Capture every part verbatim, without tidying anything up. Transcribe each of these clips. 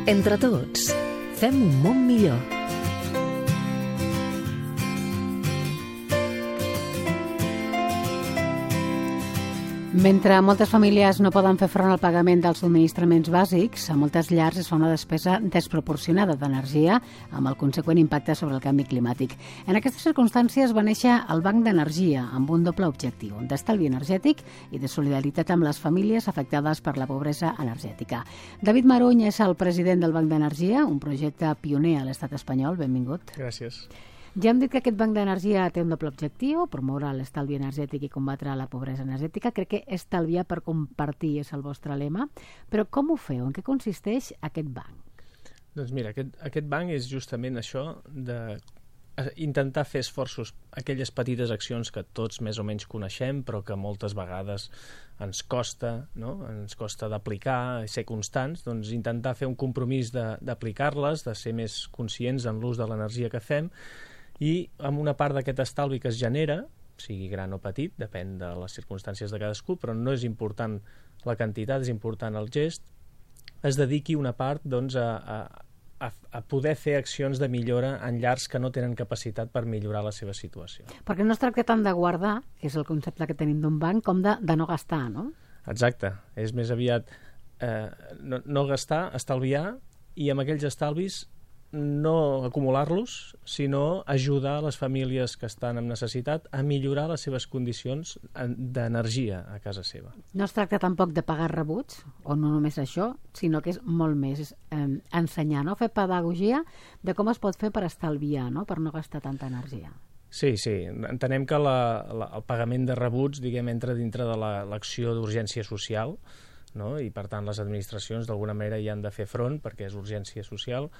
Entre tots, fem un món millor. Mentre moltes famílies no poden fer front al pagament dels subministraments bàsics, a moltes llars es fa una despesa desproporcionada d'energia amb el conseqüent impacte sobre el canvi climàtic. En aquestes circumstàncies va néixer el Banc d'Energia amb un doble objectiu, d'estalvi energètic i de solidaritat amb les famílies afectades per la pobresa energètica. David Maruny és el president del Banc d'Energia, un projecte pioner a l'estat espanyol. Benvingut. Gràcies. Ja hem dit que aquest Banc d'Energia té un doble objectiu, promoure l'estalvi energètic i combatre la pobresa energètica. Crec que estalviar per compartir és el vostre lema, però com ho feu? En què consisteix aquest banc? Doncs mira, aquest, aquest banc és justament això de intentar fer esforços, aquelles petites accions que tots més o menys coneixem, però que moltes vegades ens costa, no? Ens costa d'aplicar, ser constants, doncs intentar fer un compromís d'aplicar-les, de, de ser més conscients en l'ús de l'energia que fem, i amb una part d'aquest estalvi que es genera, sigui gran o petit, depèn de les circumstàncies de cadascú, però no és important la quantitat, és important el gest, es dediqui una part doncs, a, a, a poder fer accions de millora en llars que no tenen capacitat per millorar la seva situació. Perquè no es tracta tant de guardar, que és el concepte que tenim d'un banc, com de, de no gastar, no? Exacte, és més aviat eh, no, no gastar, estalviar, i amb aquells estalvis no acumular-los, sinó ajudar les famílies que estan en necessitat a millorar les seves condicions d'energia a casa seva. No es tracta tampoc de pagar rebuts, o no només això, sinó que és molt més, és eh, ensenyar, no? Fer pedagogia de com es pot fer per estalviar, no? Per no gastar tanta energia. Sí, sí. Entenem que la, la, el pagament de rebuts, diguem, entra dintre de l'acció d'urgència social, no? I per tant les administracions d'alguna manera hi han de fer front perquè és urgència social,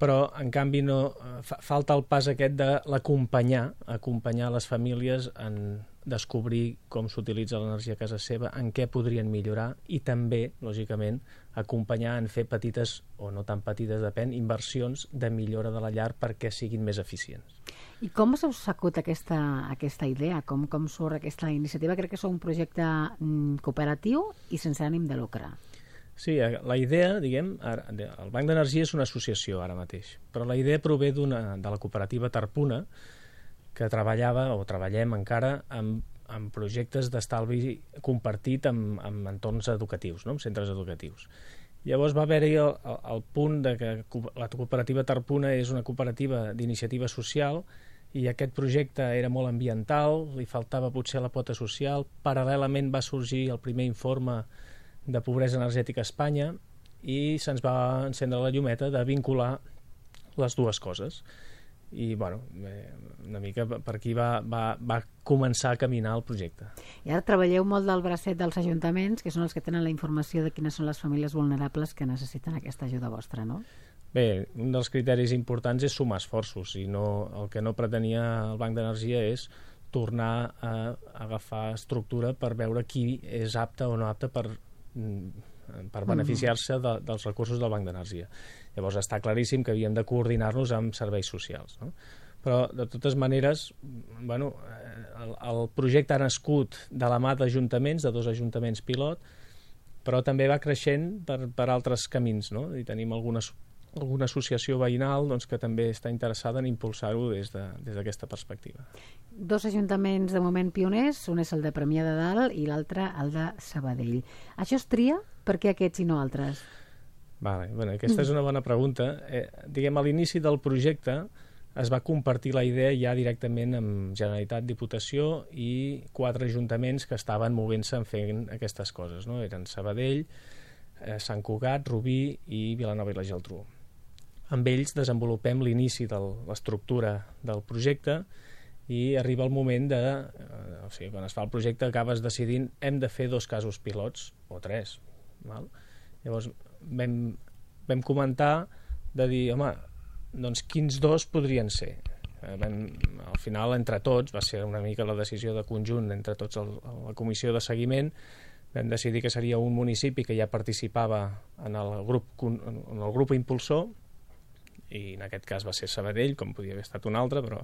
però en canvi no, fa, falta el pas aquest de l'acompanyar, acompanyar les famílies en descobrir com s'utilitza l'energia a casa seva, en què podrien millorar i també, lògicament, acompanyar en fer petites, o no tan petites, depèn, inversions de millora de la llar perquè siguin més eficients. I com us heu sacut aquesta, aquesta idea? Com, com surt aquesta iniciativa? Crec que és un projecte mm, cooperatiu i sense ànim de lucre. Sí, la idea, diguem, el Banc d'Energia és una associació ara mateix, però la idea prové d'una de la cooperativa Tarpuna, que treballava, o treballem encara, amb, amb projectes d'estalvi compartit amb, amb entorns educatius, no? Amb centres educatius. Llavors va haver-hi el, el, el punt de que la cooperativa Tarpuna és una cooperativa d'iniciativa social i aquest projecte era molt ambiental, li faltava potser la pota social, paral·lelament va sorgir el primer informe de pobresa energètica a Espanya i se'ns va encendre la llumeta de vincular les dues coses. I, bueno, una mica per aquí va, va, va començar a caminar el projecte. I ara treballeu molt del bracet dels ajuntaments, que són els que tenen la informació de quines són les famílies vulnerables que necessiten aquesta ajuda vostra, no? Bé, un dels criteris importants és sumar esforços, i no, el que no pretenia el Banc d'Energia és tornar a agafar estructura per veure qui és apte o no apte per per beneficiar-se de, dels recursos del Banc d'Energia. Llavors està claríssim que havíem de coordinar-nos amb serveis socials, no? Però de totes maneres, bueno, el, el projecte ha nascut de la mà d'ajuntaments, de dos ajuntaments pilot, però també va creixent per, per altres camins, no? I tenim algunes alguna associació veïnal doncs, que també està interessada en impulsar-ho des de, des d'aquesta perspectiva. Dos ajuntaments de moment pioners, un és el de Premià de Dalt i l'altre el de Sabadell. Això es tria? Per què aquests i no altres? Vale, bueno, aquesta és una bona pregunta. Eh, diguem, a l'inici del projecte es va compartir la idea ja directament amb Generalitat, Diputació i quatre ajuntaments que estaven movent-se en fent aquestes coses, no? Eren Sabadell, eh, Sant Cugat, Rubí i Vilanova i la Geltrú. Amb ells desenvolupem l'inici de l'estructura del projecte i arriba el moment de... Eh, o sigui, quan es fa el projecte acabes decidint hem de fer dos casos pilots, o tres. Val? Llavors vam, vam comentar de dir, home, doncs quins dos podrien ser? Eh, vam, al final, entre tots, va ser una mica la decisió de conjunt entre tots el, la comissió de seguiment, vam decidir que seria un municipi que ja participava en el grup, en el grup impulsor, i en aquest cas va ser Sabadell, com podia haver estat un altre, però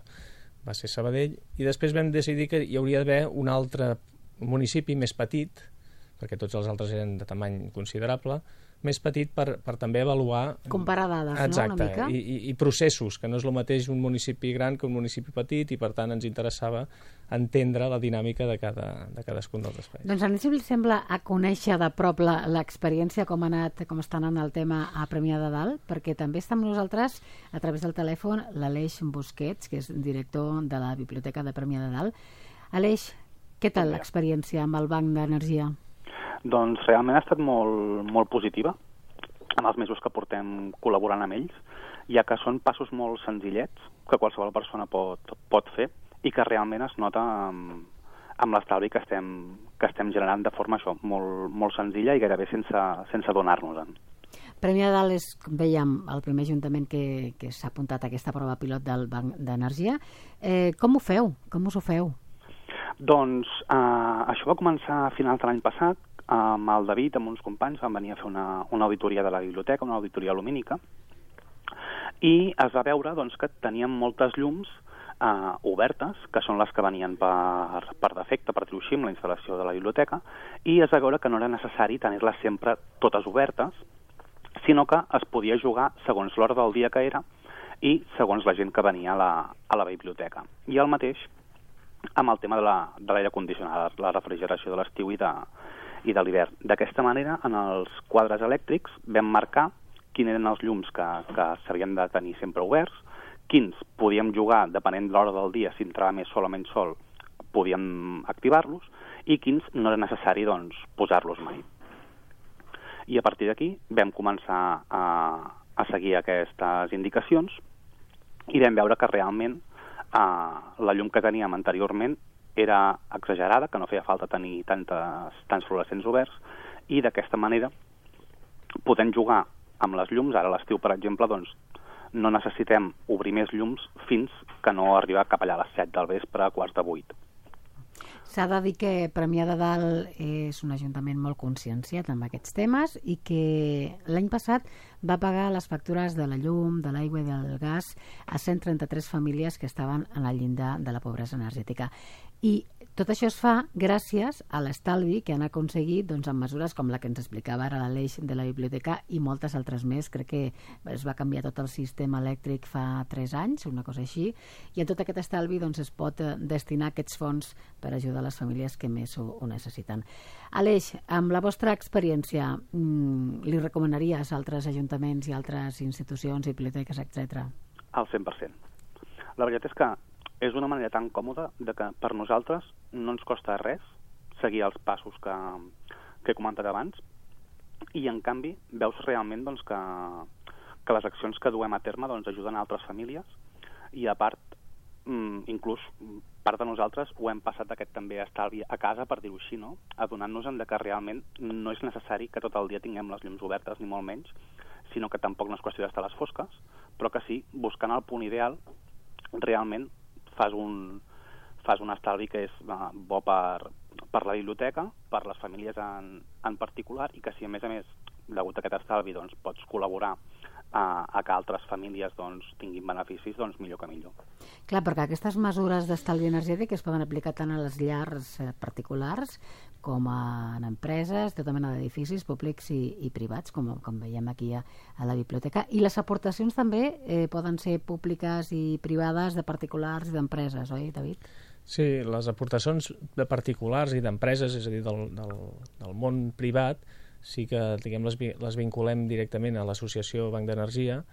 va ser Sabadell, i després vam decidir que hi hauria d'haver un altre municipi més petit, perquè tots els altres eren de tamany considerable, més petit per, per també avaluar... Comparar dades, exacte, no?, una mica. I, i, i processos, que no és el mateix un municipi gran que un municipi petit, i per tant ens interessava entendre la dinàmica de, cada, de cadascun dels espais. Doncs a mi si sembla a conèixer de prop l'experiència, com ha anat, com està anant el tema a Premià de Dalt, perquè també està amb nosaltres a través del telèfon l'Aleix Busquets, que és director de la Biblioteca de Premià de Dalt. Aleix, què tal l'experiència amb el Banc d'Energia? Doncs realment ha estat molt, molt positiva en els mesos que portem col·laborant amb ells, ja que són passos molt senzillets que qualsevol persona pot, pot fer i que realment es nota amb, amb l'estalvi que estem, que estem generant de forma això, molt, molt senzilla i gairebé sense, sense donar-nos-en. Premià de Dalt és, com vèiem, el primer ajuntament que, que s'ha apuntat a aquesta prova pilot del Banc d'Energia. Eh, com ho feu? Com us ho feu? Doncs eh, això va començar a finals de l'any passat, amb el David, amb uns companys, van venir a fer una, una auditoria de la biblioteca, una auditoria lumínica, i es va veure doncs, que teníem moltes llums eh, obertes, que són les que venien per, per defecte, per dir-ho així, amb la instal·lació de la biblioteca, i es va veure que no era necessari tenir-les sempre totes obertes, sinó que es podia jugar segons l'hora del dia que era i segons la gent que venia a la, a la biblioteca. I el mateix amb el tema de l'aire condicionat, la refrigeració de l'estiu i de i de l'hivern. D'aquesta manera, en els quadres elèctrics vam marcar quins eren els llums que, que s'havien de tenir sempre oberts, quins podíem jugar, depenent de l'hora del dia, si entrava més sol o menys sol, podíem activar-los, i quins no era necessari doncs, posar-los mai. I a partir d'aquí vam començar a, a seguir aquestes indicacions i vam veure que realment eh, la llum que teníem anteriorment era exagerada, que no feia falta tenir tantes, tants fluorescents oberts, i d'aquesta manera podem jugar amb les llums. Ara a l'estiu, per exemple, doncs, no necessitem obrir més llums fins que no arriba cap allà a les set del vespre, a quarts de vuit. S'ha de dir que Premià de Dalt és un ajuntament molt conscienciat amb aquests temes i que l'any passat va pagar les factures de la llum, de l'aigua i del gas a cent trenta-tres famílies que estaven en el llindar de la pobresa energètica. I tot això es fa gràcies a l'estalvi que han aconseguit doncs, amb mesures com la que ens explicava ara l'Aleix de la biblioteca i moltes altres més. Crec que es va canviar tot el sistema elèctric fa tres anys, una cosa així, i en tot aquest estalvi doncs, es pot destinar aquests fons per ajudar les famílies que més ho, ho necessiten. Aleix, amb la vostra experiència, mmm, li recomanaries a altres ajuntaments i altres institucions, biblioteques, etcètera? Al cent per cent. La veritat és que és una manera tan còmoda de que per nosaltres no ens costa res seguir els passos que, que he comentat abans, i en canvi veus realment doncs, que, que les accions que duem a terme doncs, ajuden a altres famílies, i a part, inclús part de nosaltres ho hem passat aquest també estalvi a casa, per dir-ho així, no? Adonant-nos de que realment no és necessari que tot el dia tinguem les llums obertes, ni molt menys, sinó que tampoc no és qüestió d'estar a les fosques, però que sí, buscant el punt ideal, realment fas un, fas un estalvi que és uh, bo per, per la biblioteca, per les famílies en, en particular, i que si a més a més, degut a aquest estalvi, doncs, pots col·laborar a, a que altres famílies doncs, tinguin beneficis, doncs millor que millor. Clar, perquè aquestes mesures d'estalvi energètic es poden aplicar tant a les llars particulars com a, en empreses, tota mena d'edificis públics i, i privats, com, com veiem aquí a, a la biblioteca. I les aportacions també eh, poden ser públiques i privades, de particulars i d'empreses, oi, David? Sí, les aportacions de particulars i d'empreses, és a dir, del, del, del món privat, sí que diguem, les, les vinculem directament a l'associació Banc d'Energia,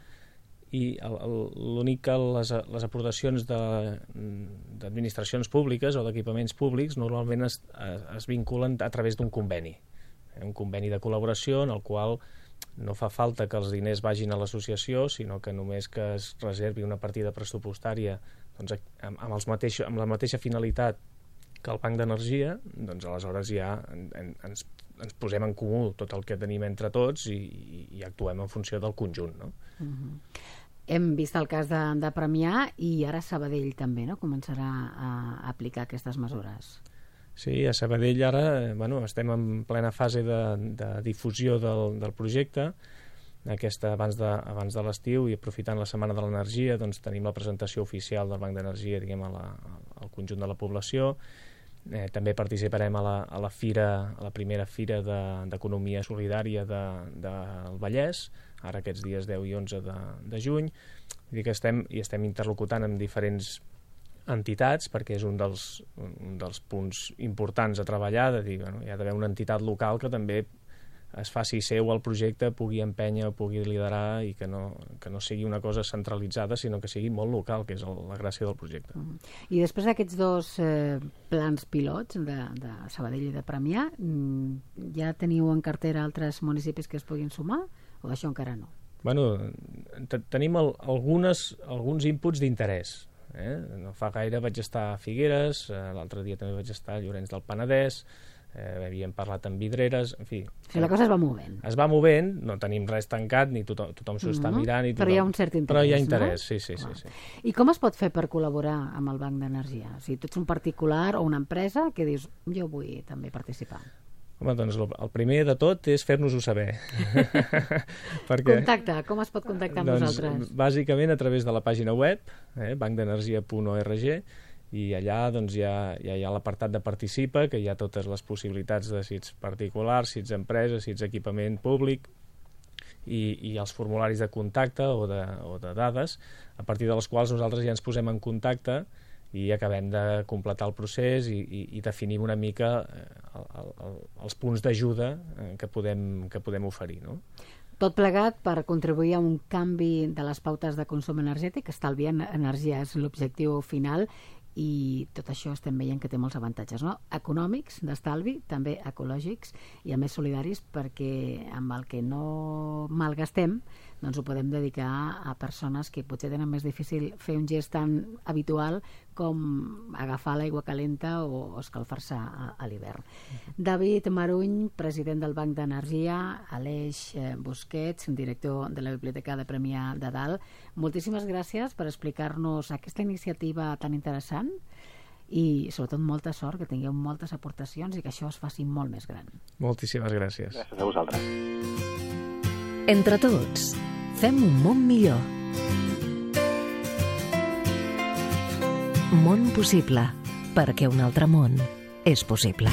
i l'únic que les, les aportacions d'administracions públiques o d'equipaments públics normalment es, es vinculen a través d'un conveni, un conveni de col·laboració en el qual no fa falta que els diners vagin a l'associació, sinó que només que es reservi una partida pressupostària doncs, amb, amb, els mateix, amb la mateixa finalitat que el Banc d'Energia, doncs aleshores ja en, en, ens, ens posem en comú tot el que tenim entre tots i, i, i actuem en funció del conjunt, no? Uh-huh. Hem vist el cas de, de Premià i ara Sabadell també, no? Començarà a aplicar aquestes mesures. Sí, a Sabadell ara bueno, estem en plena fase de, de difusió del, del projecte. Aquesta, abans de, abans de l'estiu, i aprofitant la Setmana de l'Energia, doncs tenim la presentació oficial del Banc d'Energia, diguem, a la, al conjunt de la població, Eh, també participarem a la, a la fira, a la primera fira d'Economia de, Solidària de, del Vallès, ara aquests dies deu i onze de, de juny. Vull dir que estem, i estem interlocutant amb diferents entitats, perquè és un dels, un dels punts importants a treballar, de dir, bueno, hi ha d'haver una entitat local que també es faci seu el projecte, pugui empènyer, pugui liderar i que no, que no sigui una cosa centralitzada, sinó que sigui molt local, que és el, la gràcia del projecte. Mm. I després d'aquests dos eh, plans pilots de, de Sabadell i de Premià, mm, ja teniu en cartera altres municipis que es puguin sumar o això encara no? Bueno, tenim el, algunes, alguns inputs d'interès. Eh? No fa gaire vaig estar a Figueres, eh, l'altre dia també vaig estar a Llorenç del Penedès, Eh, havíem parlat amb Vidreres, en fi... O sigui, la cosa es va movent. Es va movent, no tenim res tancat, ni tothom, tothom s'ho està mirant... I tothom... Però hi ha un cert interès, Però hi ha interès, no? sí, sí, sí, sí. I com es pot fer per col·laborar amb el Banc d'Energia? O sigui, tu ets un particular o una empresa que dius, jo vull també participar. Home, doncs el primer de tot és fer-nos-ho saber. Perquè, contacte, com es pot contactar amb doncs, nosaltres? Bàsicament a través de la pàgina web, eh, banc d'energia punt org, i allà doncs, hi ha, hi ha l'apartat de participa, que hi ha totes les possibilitats de si ets particular, si ets empresa, si ets equipament públic, i, i els formularis de contacte o de, o de dades, a partir de les quals nosaltres ja ens posem en contacte i acabem de completar el procés i, i, i definim una mica el, el, el, els punts d'ajuda que podem, que podem oferir, no? Tot plegat per contribuir a un canvi de les pautes de consum energètic, estalviar energia és l'objectiu final, i tot això estem veient que té molts avantatges, no? Econòmics, d'estalvi, també ecològics i a més solidaris, perquè amb el que no malgastem doncs ho podem dedicar a persones que potser tenen més difícil fer un gest tan habitual com agafar l'aigua calenta o escalfar-se a, a l'hivern. Uh-huh. David Maruny, president del Banc d'Energia, Aleix Busquets, director de la Biblioteca de Premià de Dalt, moltíssimes gràcies per explicar-nos aquesta iniciativa tan interessant i sobretot molta sort, que tingueu moltes aportacions i que això es faci molt més gran. Moltíssimes gràcies. Gràcies a vosaltres. Entre tots, fem un món millor. Món possible, perquè un altre món és possible.